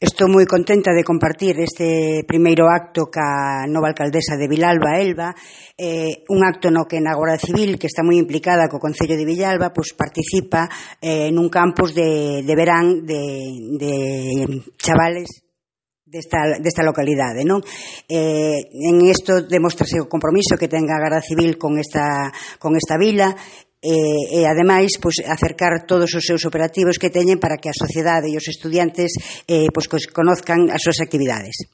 Estou moi contenta de compartir este primeiro acto ca nova alcaldesa de Vilalba, Elba, un acto no que na Garda Civil, que está moi implicada co Concello de Villalba, pois participa nun campus de verán de chavales desta localidade, non? En isto demostrase o compromiso que ten a Garda Civil con esta vila e ademais pois acercar todos os seus operativos que teñen para que a sociedade e os estudiantes pois conozcan as súas actividades.